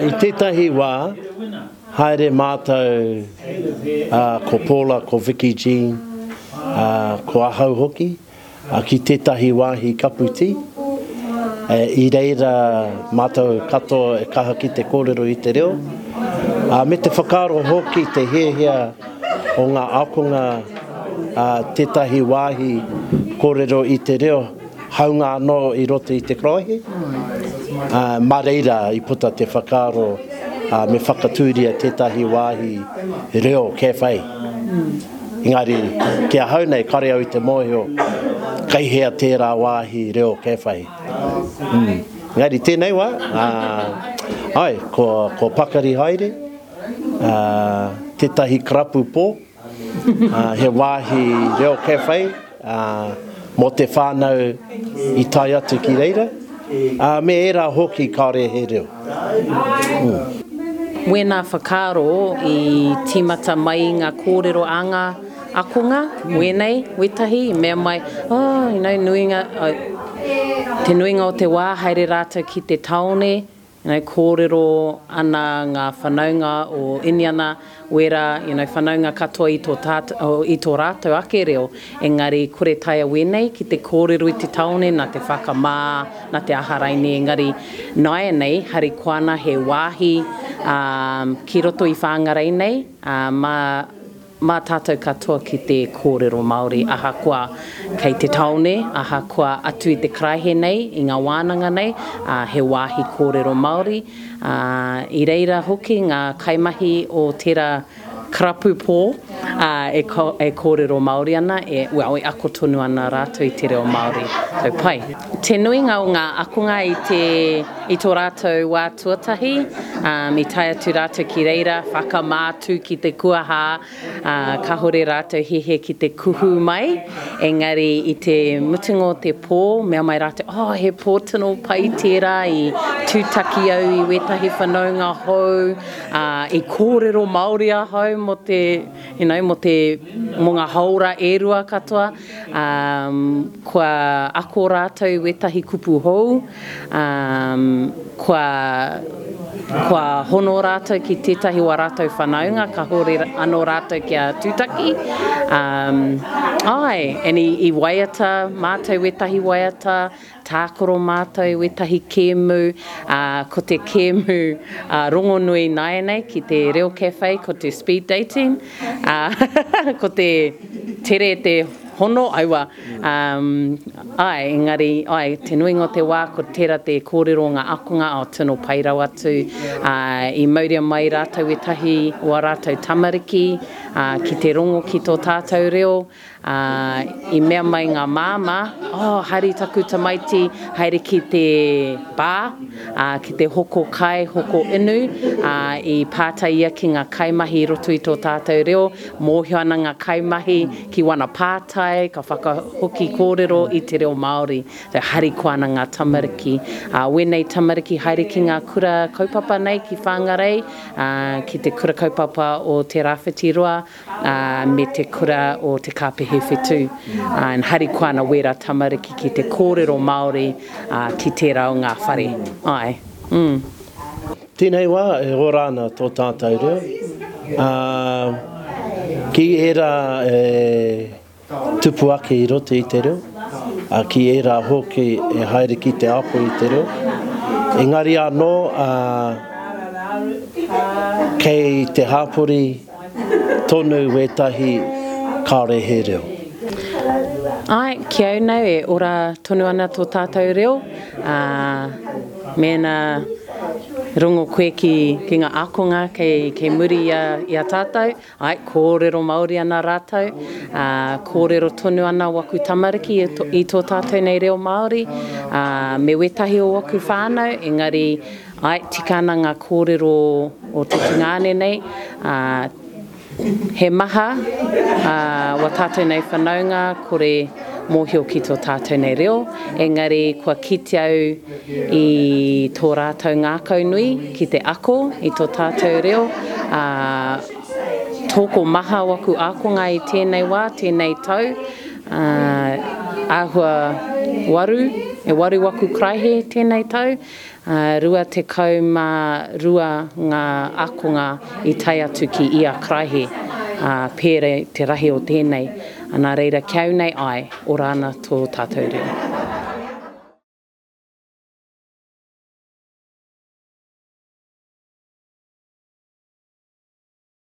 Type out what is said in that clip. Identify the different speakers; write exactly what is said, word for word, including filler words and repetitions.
Speaker 1: I tētahi wā, haere mātou uh, ko Paula, ko Vicky Jean, uh, ko ahau hoki, uh, ki tētahi wāhi kapu tī. E, I reira mātou katoa e kaha ki te kōrero i te reo. Uh, me te whakaaro hoki te hiahia o ngā ākonga uh, tētahi wāhi kōrero i te reo, haunga anō i roto i te karaehe. Uh, mā reira i puta te whakaaro uh, me whakatūria tētahi wāhi reo cafe. Engari, ki ahau nei, kare au i te mōhio, kei hea tērā wāhi reo cafe. Mm. Engari tēnei wā, uh, ai, ko, ko Pakari Haere, uh, tētahi karapu pō, uh, he wāhi reo cafe, uh, mō te whānau i tae atu ki reira, uh, me ērā hoki kāore he reo. Mm.
Speaker 2: Wēnā whakaaro i tīmata mai i ngā kōrero a ngā akonga, wēnei, wētahi, i mea mai, oh, you know, nuinga, oh, te nuinga o te wā haere rātou ki te taone, you know, kōrero ana ngā whanaunga o Iniana, wera, you know, whanaunga katoa i tō, tāt, o, i tō rātou ake reo, engari kore taea wēnei ki te kōrero i te taone, nā te whakamā, nā te aha raini, engari nāianei, harikoa ana he wāhi um, ki roto i Whangarei nei, uh, mā, mā tātou katoa ki te kōrero Māori, ahakoa kei te taone, ahakoa atu i te karaehe nei, i ngā wānanga nei, uh, he wāhi kōrero Māori. Uh, I reira hoki ngā kaimahi o tērā karapu pō uh, e, ko, e kōrero Māori ana, e, well, e ako tonu ana rātou i te reo Māori. So, pai. Te nuinga o ngā akonga i, te, i tō rātou wā tuatahi, um, i tae atu rātou ki reira, whakamātu ki te kuaha, uh, kahore rātou hehe ki te kuhu mai, engari i te mutunga o te pō, mea mai rātou, oh, he pō tino pai tērā, i tūtaki au i wētahi whanaunga hou, uh, i kōrero Māori ahau mō te, you know, mō te, mō ngā haora e rua katoa, um, kua ako rātou i wētahi kupu hou, um, kua, kua hono rātou ki tētahi o ā rātou whanaunga, kahore anō rātou kia tūtaki. Um, ai, and i, i waiata mātou wētahi waiata, tākaro mātou wētahi kēmu, uh, ko te kēmu uh, rongonui nāianei ki te reo cafe, ko te speed dating, uh, ko te tere te hono, aua, um, ai, engari, ai, te nuinga o te wā, ko tērā te kōrero o ngā akonga, o tino pai rawa atu, uh, i mauria mai rātou wētahi o ā rātou tamariki, uh, ki te rongo ki tō tātou reo, uh, i mea mai ngā māmā, oh, haere taku tamaiti, haere ki te bar, uh, ki te hoko kai, hoko inu, uh, i pātai ia ki ngā kaimahi i roto i tō tātou reo, mōhio ana ngā kaimahi ki wana pātai, ka whakahoki kōrero i te reo Māori. So, harikoa ana ngā tamariki. Uh, wēnei tamariki haere ki ngā kura kaupapa nei ki Whangarei, uh, ki te kura kaupapa o Te Rāwhiti Roa, uh, me te kura o Te Kāpehe Whetū. Uh, and harikoa ana wērā tamariki ki te kōrero Māori uh, ki tērā o ngā whare. Ai. Mm.
Speaker 1: Tēnei wā, e ora ana tō tātou reo. Uh, ki ērā e tupu ake i roto i te reo, uh, ki ērā hoki e haere ki te ako i te reo. Engari anō, uh, kei te hāpori tonu wētahi kāore he reo.
Speaker 2: Ai, ki au nei e ora tonu ana tō tātou reo. Uh, mēnā rongo koe ki, ki ngā ākonga kei, kei muri i a, i a tātou. Ai, kōrero Māori ana rātou. Uh, kōrero tonu ana waku tamariki i tō, i tō tātou nei reo Māori. Uh, me wētahi o waku whānau, engari ai, tika ana ngā kōrero o te tungāne nei. Uh, he maha uh, wa tātou nei whanaunga, kore mōhio ki tō tātou nei reo, engari kua kite au i tō rātou ngākau nui ki te ako i tō tātou reo. Uh, tōko maha waku ākonga i tēnei wā, tēnei tau, uh, āhua Waru, e waru waku karaihe tēnei tau, rua tekau mā rua ngā ākonga i tae atu ki ia karaihe, pērā te rahi o tēnei. Nā reira, ki au nei, āe, ora ana tō tātou reo.